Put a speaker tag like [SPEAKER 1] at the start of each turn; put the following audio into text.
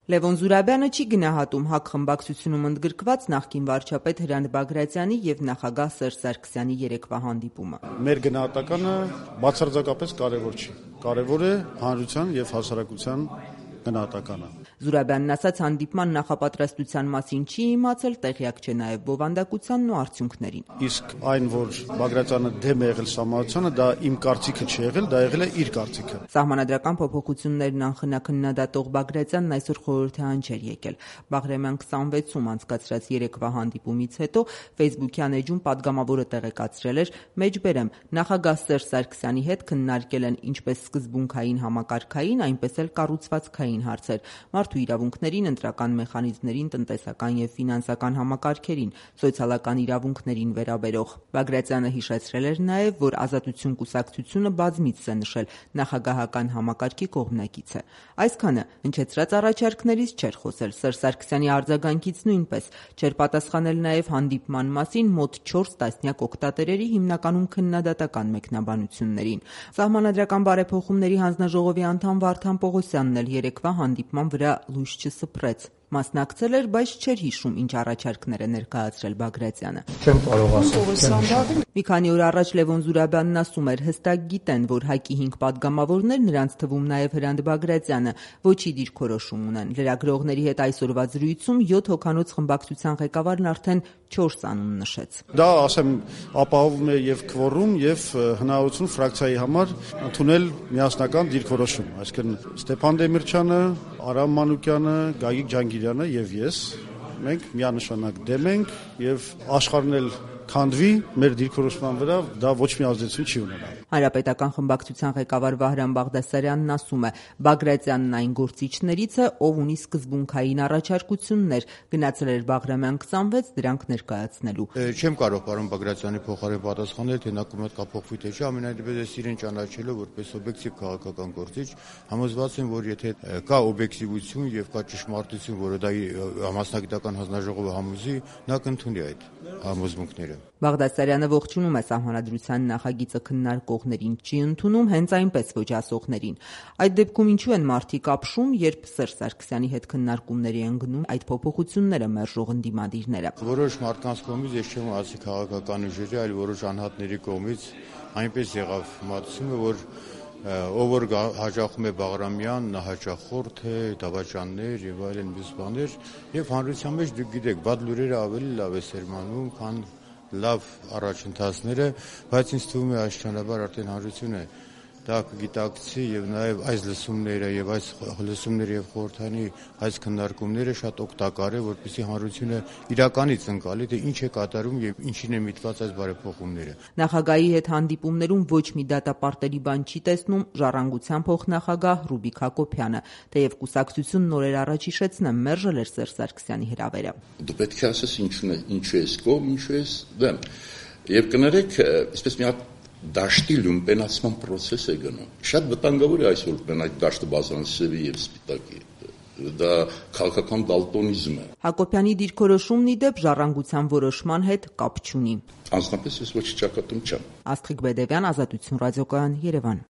[SPEAKER 1] Լևոն Զուրաբյանը չի գնահատում ՀԱԿ խմբակցությունում ընդգրկված նախկին վարչապետ Հրանտ Բագրատյանի եւ նախագահ Սերժ Սարգսյանի երեկվա հանդիպումը։
[SPEAKER 2] Մեր գնահատականը բացարձակապես կարևոր չի։ Կարևոր է հանրության եւ հասարակության գնահատականը։
[SPEAKER 1] Զուրաբյանն ասաց, հանդիպման նախապատրաստության մասին չի իմացել, տեղյակ չէ նաեւ բովանդակությանն ու արդյունքներին։
[SPEAKER 2] Իսկ այն, որ Բագրատյանը դեմ է եղել սահմանությանը, դա իմ կարծիքը չի եղել, դա եղել է իր կարծիքը։
[SPEAKER 1] Սահմանադրական փոփոխություններն անխնա-քննադատող Բագրատյանն այսօր խորհրդահան չէր եկել։ Բաղրամյան 26-ում անցկացրած երեկվա հանդիպումից հետո Facebook-յան էջում падգամավորը տեղեկացրել էր. «Մեջբերեմ, նախագահ Սերժ Սարգսյանի հետ քննարկել են ինչպես սկզբունքային համակարգային, այնպես էլ կառուցվածքային հարցեր, մարդու իրավունքներին, ընտրական մեխանիզմներին, տնտեսական եւ ֆինանսական համակարգերին, սոցիալական իրավունքներին վերաբերող»։ Բագրատյանը հիշեցրել էր նաեւ, որ Ազատություն կուսակցությունը բազմիցս է նշել նախագահական համակարգի կողմնակից է։ Այսքանը հնչեցրած առաջարկներից չէր խոսել, Սերժ Սարգսյանի արձագանքից նույնպես չէր պատասխանել նաեւ հանդիպման մասին մոտ 4 տասնյակ օգտատերերի հիմնականում քննադատական մեկնաբանություններին։ Սահմանադրական բարեփոխումների հանձնաժողովի անդամ Վարդան Պողոսյանն էլ երեկվա հանդիպման վրա լույս չսփռեց։ Մասնակցել էր, բայց չէր հիշում, ինչ առաջարկներ է ներկայացրել Բագրատյանը։
[SPEAKER 3] Չեմ կարող ասել։
[SPEAKER 1] Մի քանի օր առաջ Լևոն Զուրաբյանն ասում էր, հստակ գիտեն, որ ՀԱԿ-ի 5 падգամավորներ, նրանց թվում նաև Հրանտ Բագրատյանը, ոչի դիրքորոշում ունեն։ Լրագրողների հետ այսօրվա զրույցում 7 հոգանոց խմբակցության ղեկավարն արդեն 4 անուն նշեց։
[SPEAKER 2] Դա, ասեմ, ապահովում է եւ քվորում եւ հնարավորություն ֆրակցիայի համար ընդունել միասնական դիրքորոշում, այսինքն Ստեփան Դեմիրճյանը, Արամ Մանուկյանը, Գագիկ Ջանգիրյանը եւ ես մենք միանշանակ դեմ ենք եւ աշխարհն էլ քանդվի մեր դիրքորոշման վրա, դա ոչ մի ազդեցություն չի ունենա։
[SPEAKER 1] Հանրապետական խմբակցության ղեկավար Վահրամ Բաղդասարյանն ասում է, Բագրատյանն այն գործիչներից է, ով ունի սկզբունքային առաջարկություններ, գնացել էր Բաղրամյան 26 դրանք ներկայացնելու։
[SPEAKER 4] Չեմ կարող պարոն Բագրատյանի փոխարեն պատասխանել, թե նա կողմից կափոխվի թե չէ, ամենայնիվ ես իրեն ճանաչելով որպես օբյեկտիվ քաղաքական գործիչ, համոզված եմ, որ եթե կա օբյեկտիվություն եւ կա ճշմարտություն, որը դա համասնագիտական հանձնաժողովը համոզի, նա կընդունի այդ համոզմունքները։
[SPEAKER 1] Բաղդասարյանը ողջունում է սահմանադրության նախագիծը քննարկողներին, չի ընդունում հենց այնպես ոչ ասողներին։ Այդ դեպքում ինչու են մարդիկ ապշում, երբ Սերժ Սարգսյանի հետ քննարկումների են գնում այդ փոփոխությունները մերժող ընդդիմադիրները։
[SPEAKER 4] Որոշ մարդկանց կողմից, ես չեմ ասի քաղաքական ուժերի, այլ որոշ անհատների կողմից այնպես եղավ մտածումը, որ ով որ հաջողում է Բաղրամյան, նա հաճախորդ է, դավաճաններ եւ այլն մյուս բաներ, եւ հանրության մեջ դուք գիտեք, բադ լուրերը ավելի լավ է սերմանում, քան լավ առաջընթացները, բայց ինձ թվում է աստիճանաբար արդեն հանրությունը դա կգիտակցի եւ նաեւ այս լսումները եւ այս լսումները եւ խորհրդանի այս քննարկումները շատ օգտակար է, որպեսզի հանրությունը իրականից ընկալի, թե ինչ է կատարում եւ ինչին է միտված այս բարեփոխումները։
[SPEAKER 1] Նախագահի հետ հանդիպումներում ոչ մի դատապարտելի բան չի տեսնում ժառանգության փոխնախագահ Ռուբիկ Հակոբյանը, թեև կուսակցությունն օրեր առաջ հիշեցնեմ մերժել էր Սերժ Սարգսյանի հրավերը։
[SPEAKER 5] Դու պետք է ասես ինչու ես կողմ, ինչու ես դեմ։ Եվ կներեք, այսպես մի հատ դաշտի լումպենացման process է գնում։ Շատ վտանգավոր է այսօր այդ դաշտը բազմասերի եւ սպիտակի։ Դա քաղաքական դալտոնիզմ է։
[SPEAKER 1] Հակոբյանի դիրքորոշումն ի դեպ ժառանգության որոշման հետ կապ չունի։
[SPEAKER 5] Անձնապես ես ոչ ճակատում չեմ։
[SPEAKER 1] Աստղիկ Բեդևյան, Ազատություն ռադիոկայան, Երևան։